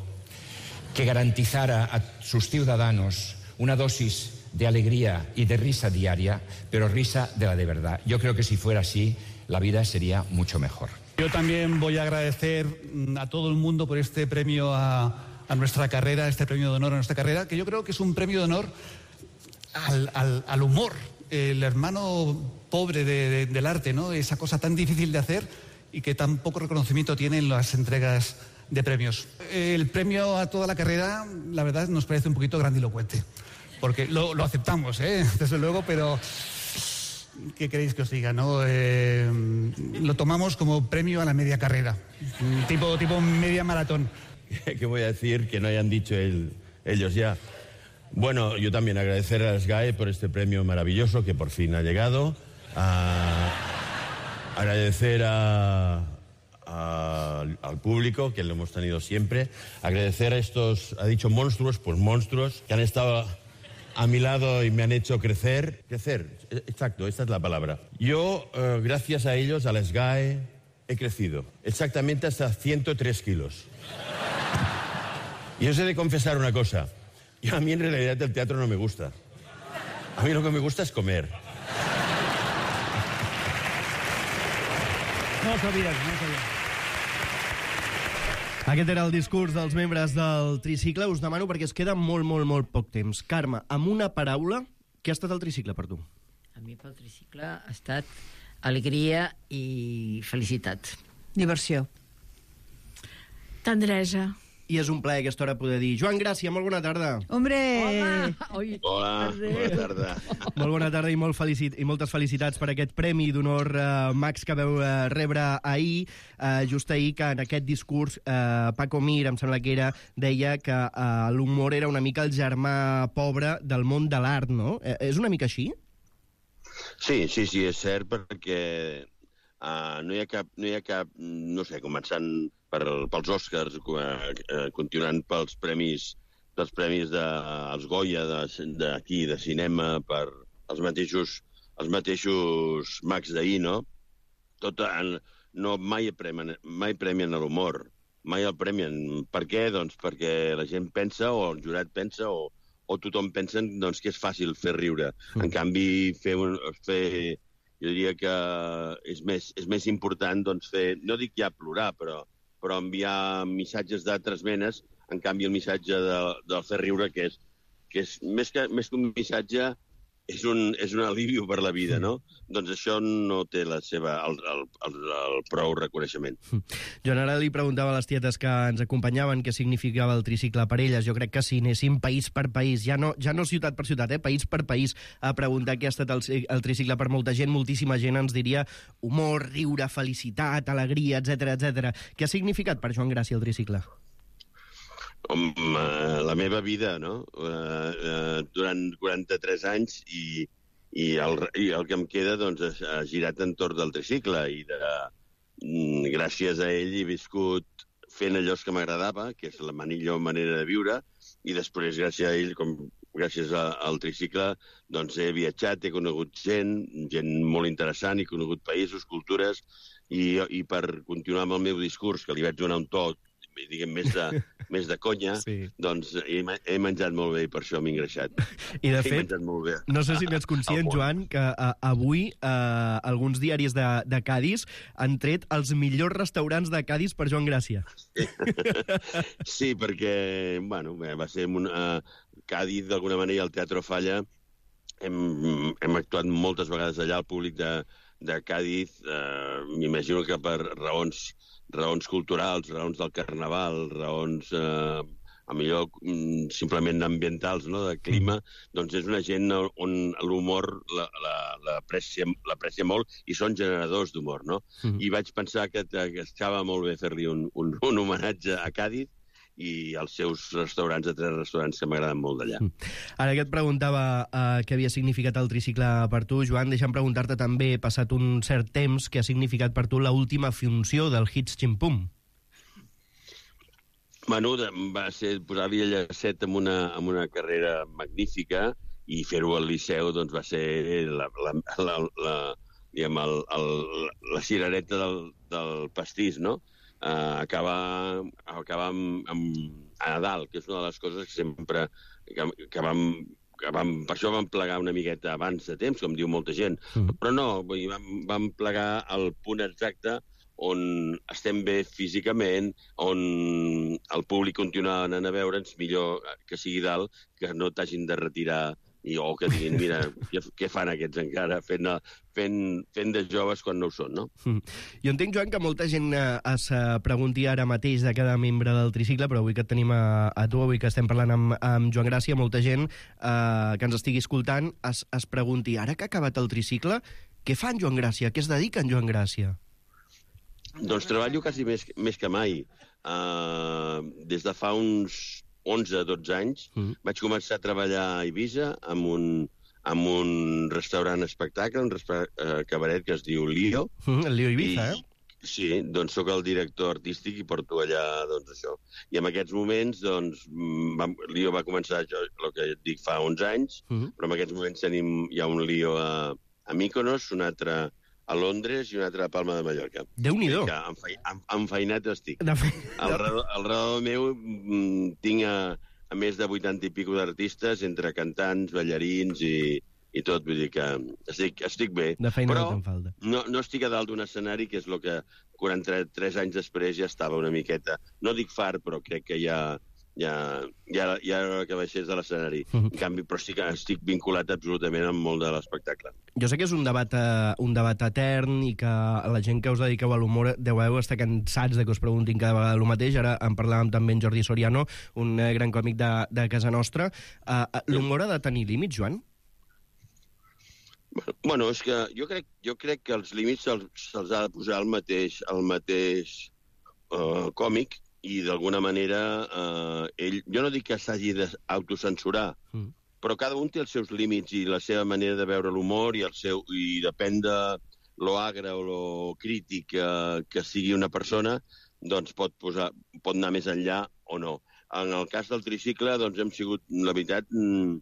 que garantizara a sus ciudadanos una dosis de alegría y de risa diaria, pero risa de la de verdad. Yo creo que si fuera así, la vida sería mucho mejor. Yo también voy a agradecer a todo el mundo por este premio a, a nuestra carrera, este premio de honor a nuestra carrera, que yo creo que es un premio de honor al, al, al humor, el hermano pobre de, de, del arte, ¿no? Esa cosa tan difícil de hacer y que tan poco reconocimiento tienen las entregas de premios. El premio a toda la carrera, la verdad, nos parece un poquito grandilocuente, porque lo, lo aceptamos, ¿eh? Desde luego, pero ¿qué queréis que os diga, no? Eh, lo tomamos como premio a la media carrera, tipo, tipo media maratón. ¿Qué voy a decir que no hayan dicho el, ellos ya? Bueno, yo también agradecer a SGAE por este premio maravilloso que por fin ha llegado. A agradecer a, a, al público, que lo hemos tenido siempre. Agradecer a estos, ha dicho monstruos, pues monstruos, que han estado a mi lado y me han hecho crecer. Crecer, exacto, esta es la palabra. Yo, eh, gracias a ellos, a la SGAE, he crecido. Exactamente hasta ciento tres kilos. Y os he de confesar una cosa. Yo, a mí en realidad el teatro no me gusta. A mí lo que me gusta es comer. No ho sabies, no ho sabies. Aquest era el discurs dels membres del tricicle. Us demano perquè es queda molt, molt, molt poc temps. Carme, amb una paraula, què ha estat el tricicle per tu? A mi pel tricicle ha estat alegria i felicitat. Diversió. Tendresa. I és un plaer a aquesta hora poder dir Joan Gràcia, molt bona tarda. Hombre! Home! Hola, bona tarda. Molt bona tarda i, molt felicit i moltes felicitats per aquest Premi d'Honor uh, Max que veu uh, rebre ahir, uh, just ahir, que en aquest discurs uh, Paco Mir, em sembla que era, deia que uh, l'humor era una mica el germà pobre del món de l'art, no? Uh, és una mica així? Sí, sí, sí, és cert, perquè uh, no hi ha cap, no hi ha cap, no sé, començant per, pels Oscars, uh, continuant pels premis, pels premis de, els Goya d'aquí, de, de cinema, per els mateixos, els mateixos Max d'ahir, no? Tot, no mai premien, mai premien l'humor, mai el premien. Per què? Doncs perquè la gent pensa, o el jurat pensa, o, o tothom pensa doncs, que és fàcil fer riure. Mm. En canvi, fer, un, fer, jo diria que és més, és més important doncs, fer, no dic ja plorar, però, però enviar missatges d'altres menes. En canvi, el missatge de, del fer riure, que és, que és més, que, més que un missatge, és un, és un aliviu per la vida, no? Doncs això no té la seva, el, el, el, el prou reconeixement. Joan, ara li preguntava a les tietes que ens acompanyaven què significava el tricicle per elles. Jo crec que si anéssim país per país, ja no, ja no ciutat per ciutat, eh? País per país, a preguntar què ha estat el, el tricicle per molta gent, moltíssima gent ens diria humor, riure, felicitat, alegria, etcètera, etcètera. Què ha significat per Joan Gràcia el tricicle? Com, uh, la meva vida, no? Uh, uh, durant quaranta-tres anys i, i, el, i el que em queda doncs, ha girat entorn del tricicle i de, mm, gràcies a ell he viscut fent allò que m'agradava, que és la millor manera de viure, i després gràcies a ell, com gràcies a, al tricicle, doncs he viatjat, he conegut gent, gent molt interessant, he conegut països, cultures, i, i per continuar amb el meu discurs, que li vaig donar un to diguem, més de, més de conya, sí. doncs he, he menjat molt bé i per això m'he engreixat. I de he fet, molt bé. no sé si n'ets conscient, Joan, que uh, avui uh, alguns diaris de, de Cádiz han tret els millors restaurants de Cádiz per Joan Gràcia. Sí, sí perquè, bueno, bé, va ser un, uh, Cádiz, d'alguna manera, al Teatro Falla. Hem, hem actuat moltes vegades allà, el públic de, de Cádiz, eh, m'imagino que per raons, raons culturals, raons del carnaval, raons, eh, a millor simplement ambientals, no?, de clima, doncs és una gent on l'humor l'aprecia molt i són generadors d'humor, no? Mm-hmm. I vaig pensar que, que estava molt bé fer-li un, un, un homenatge a Cádiz, i els seus restaurants, de tres restaurants que m'agraden molt d'allà. Ara que et preguntava uh, què havia significat el tricicle per tu, Joan, deixa'm preguntar-te també, passat un cert temps, què ha significat per tu l'última funció del Hits Ximpum? Bueno, va ser posar-li el llacet amb una, amb una carrera magnífica i fer-ho al Liceu doncs, va ser la, la, la, la, diguem, el, el, la cirereta del, del pastís, no? Uh, acabar, acabar amb, amb a Nadal, que és una de les coses que sempre que, que, vam, que vam, per això vam plegar una miqueta abans de temps, com diu molta gent, mm. però no, vull dir, vam, vam plegar el punt exacte on estem bé físicament, on el públic continua anant a veure'ns, millor que sigui dalt, que no t'hagin de retirar i, o que diguin, mira, què, què fan aquests encara fent, fent, fent de joves quan no ho són, no? Mm. Jo entenc, Joan, que molta gent eh, es pregunti ara mateix de cada membre del tricicle, però avui que et tenim a, a tu, avui que estem parlant amb, amb Joan Gràcia, molta gent eh, que ens estigui escoltant es, es pregunti, ara que ha acabat el tricicle, què fa en Joan Gràcia? Què es dedica en Joan Gràcia? Doncs treballo quasi més, més que mai. Uh, des de fa uns onze a dotze anys, mm. vaig començar a treballar a Eivissa amb un, amb un restaurant espectacle, un restaurant uh, cabaret que es diu Lío. Mm, el Lío Eivissa, I, eh? Sí, doncs sóc el director artístic i porto allà, doncs, això. I en aquests moments, doncs, va, Lío va començar, jo, el que et dic, fa onze anys, mm. però en aquests moments tenim, hi ha un Lío a, a Mykonos, un altre a Londres i una altra a Palma de Mallorca. Déu-n'hi-do. Que enfeinat estic. Al redador, al redador meu tinc a, a més de vuitanta i pico d'artistes, entre cantants, ballarins i, i tot. Vull dir que estic, estic bé. De feina però no te'n falta. No, no estic a dalt d'un escenari, que és el que quaranta-tres anys després ja estava una miqueta. No dic fart, però crec que ja... ja, ja, ja era que baixés de l'escenari. Uh -huh. En canvi, però sí que estic vinculat absolutament amb molt de l'espectacle. Jo sé que és un debat, uh, un debat etern i que la gent que us dediqueu a l'humor deu estar cansats de que us preguntin cada vegada el mateix. Ara en parlàvem també amb Jordi Soriano, un uh, gran còmic de, de casa nostra. Uh, l'humor ha de tenir límits, Joan? Bueno, és que jo crec, jo crec que els límits se'ls se ha de posar el mateix, el mateix uh, còmic, i d'alguna manera eh, ell, jo no dic que s'hagi d'autocensurar, mm. però cada un té els seus límits i la seva manera de veure l'humor i el seu i depèn de lo agre o lo crític que, que sigui una persona, doncs pot, posar, pot anar més enllà o no. En el cas del tricicle, doncs hem sigut, la veritat, mm,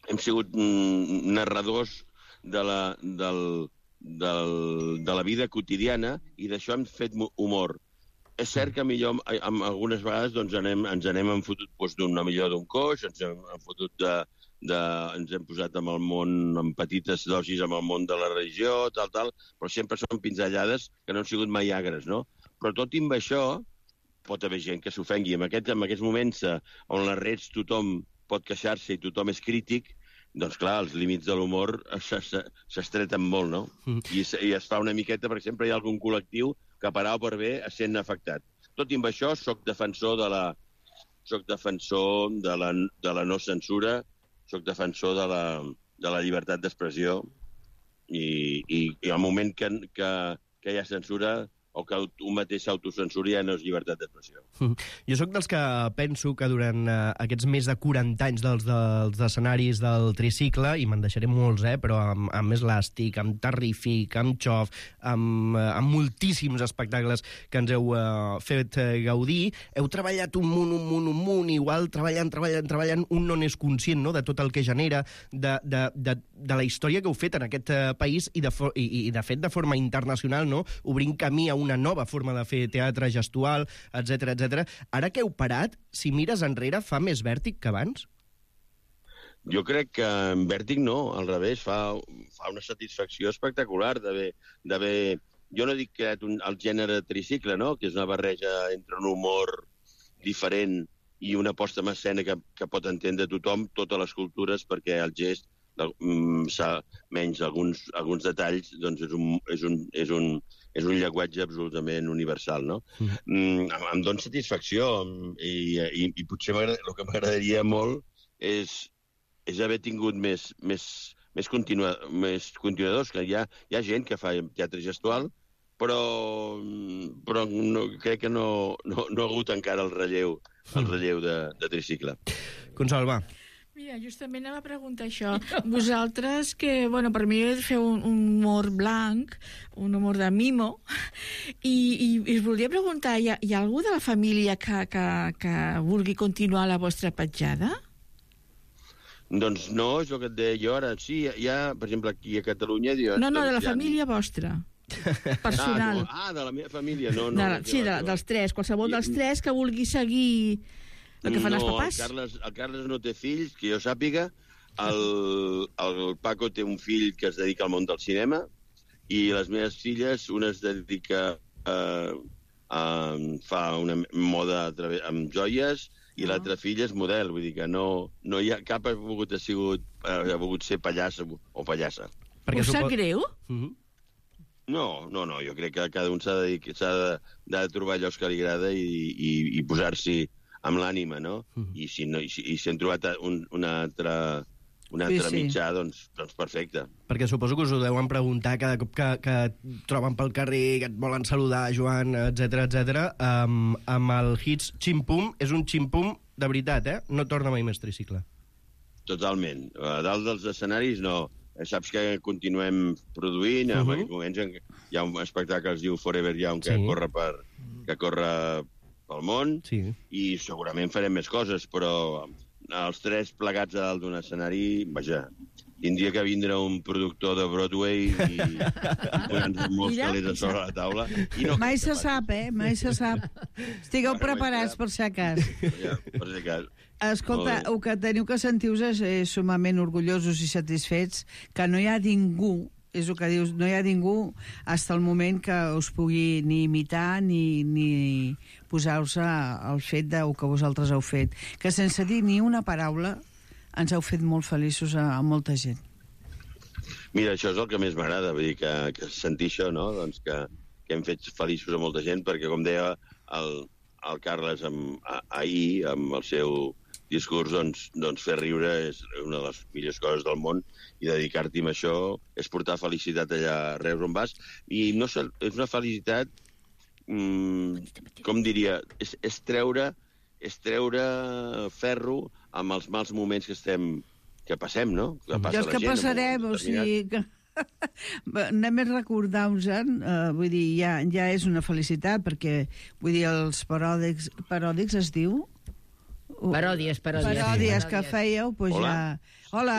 hem sigut mm, narradors de la, del, del, de la vida quotidiana i d'això hem fet humor. És cert que millor, amb, algunes vegades doncs, anem, ens anem enfotut doncs, d'una millor d'un coix, ens hem enfotut de, de, ens hem posat amb el món, amb petites dosis amb el món de la religió, tal, tal, però sempre són pinzellades que no han sigut mai agres, no? Però tot i amb això pot haver gent que s'ofengui. En, aquest, en aquests moments on les redes tothom pot queixar-se i tothom és crític, doncs clar, els límits de l'humor s'estreten molt, no? Mm. I, I es fa una miqueta, per exemple, hi ha algun col·lectiu que per A o per B sent afectat. Tot i amb això, soc defensor de la, soc defensor de la, de la no censura, soc defensor de la, de la llibertat d'expressió i, i, i al moment que, que, que hi ha censura o que un mateix s'autocensuri ja no és llibertat d'expressió. Mm. Jo sóc dels que penso que durant uh, aquests més de quaranta anys dels, dels escenaris del tricicle, i me'n deixaré molts, eh, però amb, amb Eslàstic, amb Terrífic, amb Xof, amb, uh, amb moltíssims espectacles que ens heu uh, fet uh, gaudir, heu treballat un munt, un munt, un munt, igual treballant, treballant, treballant, un no n'és conscient, no?, de tot el que genera, de, de, de, de la història que heu fet en aquest uh, país i de, i, i de fet de forma internacional, no?, obrint camí a una nova forma de fer teatre gestual, etcètera, etcètera. Ara que heu parat, si mires enrere, fa més vèrtic que abans? Jo crec que en vèrtic no, al revés, fa, fa una satisfacció espectacular d'haver... Jo no dic que un, el gènere tricicle, no?, que és una barreja entre un humor diferent i una posta en escena que, que pot entendre tothom, totes les cultures, perquè el gest, mm, menys alguns, alguns detalls, doncs és un, és un, és un, és un llenguatge absolutament universal, no? Mm. Mm, em, em dona satisfacció i, i, i potser el que m'agradaria molt és, és haver tingut més, més, més, continua, més continuadors, que hi ha, hi ha gent que fa teatre gestual, però, però no, crec que no, no, no ha hagut encara el relleu, el relleu de, de tricicle. Consol, va. Mira, justament anava a preguntar això. Vosaltres, que, bueno, per mi feu un, un humor blanc, un humor de mimo, i, i, i us volia preguntar, hi ha, hi ha algú de la família que, que, que vulgui continuar la vostra petjada? Doncs no, és el que et deia jo ara. Sí, hi ha, per exemple, aquí a Catalunya... Dius, no, no, de la doncs, família vostra. Personal. Ah, no. ah, de la meva família, no, no. De la, sí, de, dels tres, qualsevol dels tres que vulgui seguir el que fan no, els papàs. El Carles, el Carles no té fills, que jo sàpiga. El, el Paco té un fill que es dedica al món del cinema i les meves filles, una es dedica a, a fa una moda a través, amb joies i no. L'altra filla és model, vull dir que no, no hi ha cap ha volgut, ha sigut, ha volgut ser pallassa o pallassa. Us sap greu? Uh -huh. No, no, no, jo crec que cada un s'ha de, de, de trobar allò que li agrada i, i, i posar-s'hi amb l'ànima, no? Uh -huh. I si no, i si, i si han trobat un, un altre, un altre sí, sí. mitjà, doncs, doncs perfecte. Perquè suposo que us ho deuen preguntar cada cop que, que et troben pel carrer, que et volen saludar, Joan, etcètera, etcètera. Um, amb el hits Ximpum, és un ximpum de veritat, eh? No torna mai més tricicle. Totalment. A dalt dels escenaris, no. Saps que continuem produint, uh -huh. en aquests moments hi ha un espectacle que es diu Forever Young, que, sí. corre, per, que corre pel món, sí. I segurament farem més coses, però els tres plegats a dalt d'un escenari, vaja, tindria que vindre un productor de Broadway i, i posar-nos molts calés a sobre la taula. I no mai se sap, eh? Mai se sap. Estigueu bueno, preparats, per si cas. Ja, per si cas. Escolta, el que teniu que sentir-vos és, és sumament orgullosos i satisfets que no hi ha ningú, és el que dius, no hi ha ningú fins al moment que us pugui ni imitar ni, ni posar-vos al fet del que vosaltres heu fet. Que sense dir ni una paraula ens heu fet molt feliços a, a molta gent. Mira, això és el que més m'agrada, vull dir, que, que sentir això, no? Doncs que, que hem fet feliços a molta gent, perquè, com deia el, el Carles amb, a, ahir, amb el seu discurs, doncs, doncs fer riure és una de les millors coses del món i dedicar-t'hi a això és portar felicitat allà arreu on vas. I no sé, és una felicitat, mmm, com diria, és, és, treure, és treure ferro amb els mals moments que estem que passem, no? Que passa I els la que gent, passarem, o sigui... Que... Anem a recordar-nos-en, uh, vull dir, ja, ja és una felicitat, perquè, vull dir, els paròdics, paròdics es diu... Paròdies, paròdies. Paròdies que fèieu, doncs Hola. ja... Hola.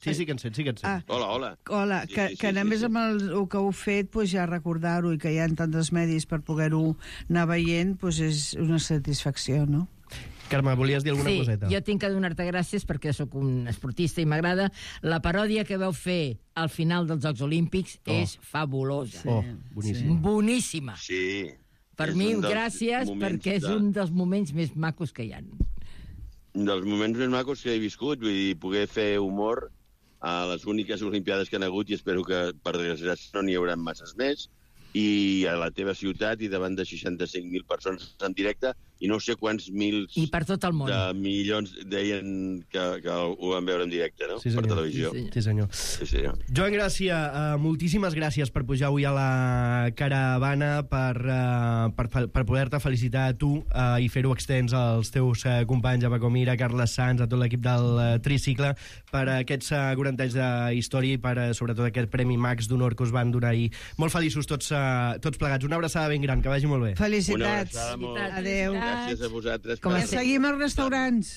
Sí, sí que en sent, sí que en sent. Ah. Hola, hola. Hola, Sí, que, sí, sí, que només sí, sí. amb el, el que heu fet, doncs ja recordar-ho i que hi ha tants medis per poder-ho anar veient, doncs és una satisfacció, no? Carme, volies dir alguna sí, coseta? Sí, jo tinc que donar-te gràcies perquè sóc un esportista i m'agrada. La paròdia que vau fer al final dels Jocs Olímpics Oh. és fabulosa. Oh, boníssim. Boníssima. Sí. Per És mi, un dels gràcies, moments perquè és de- un dels moments més macos que hi ha. dels moments més macos que he viscut, vull dir, poder fer humor a les úniques olimpiades que han hagut, i espero que, per desgràcia, no n'hi haurà masses més, i a la teva ciutat i davant de seixanta-cinc mil persones en directe, i no sé quants mils I per tot el món. de milions deien que, que ho van veure en directe, no? Sí, per senyor. televisió. Sí, senyor. Sí, senyor. Joan Gràcia, uh, moltíssimes gràcies per pujar avui a la caravana, per, uh, per, fe- per poder-te felicitar a tu uh, i fer-ho extens als teus uh, companys, a Paco Mira, Carles Sanz, a tot l'equip del uh, Tricicle, per uh, aquests uh, quaranta anys de història i per, uh, sobretot, aquest Premi Max d'Honor que us van donar ahir. Molt feliços tots, uh, tots plegats. Una abraçada ben gran, que vagi molt bé. Felicitats. Una abraçada molt- Adéu. Gràcies a vosaltres. Com per- seguim als restaurants.